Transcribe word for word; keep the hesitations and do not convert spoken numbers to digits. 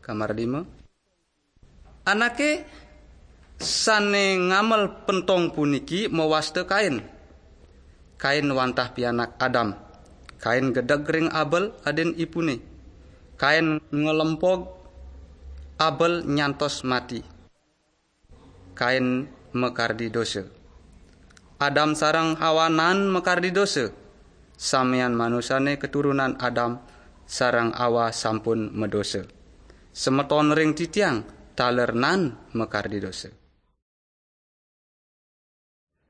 Kamar lima. Anake sane ngamel pentong puniki mawasta Kain. Kain wantah pianak Adam. Kain gedeg ring Abel adin ipune. Kain ngelempog Abel nyantos mati. Kain makardi dosa. Adam sareng Hawa nan makardi dosa. Samian manusane keturunan Adam sareng Hawa sampun madosa. Semeton ring titiang taler nan makardi dosa.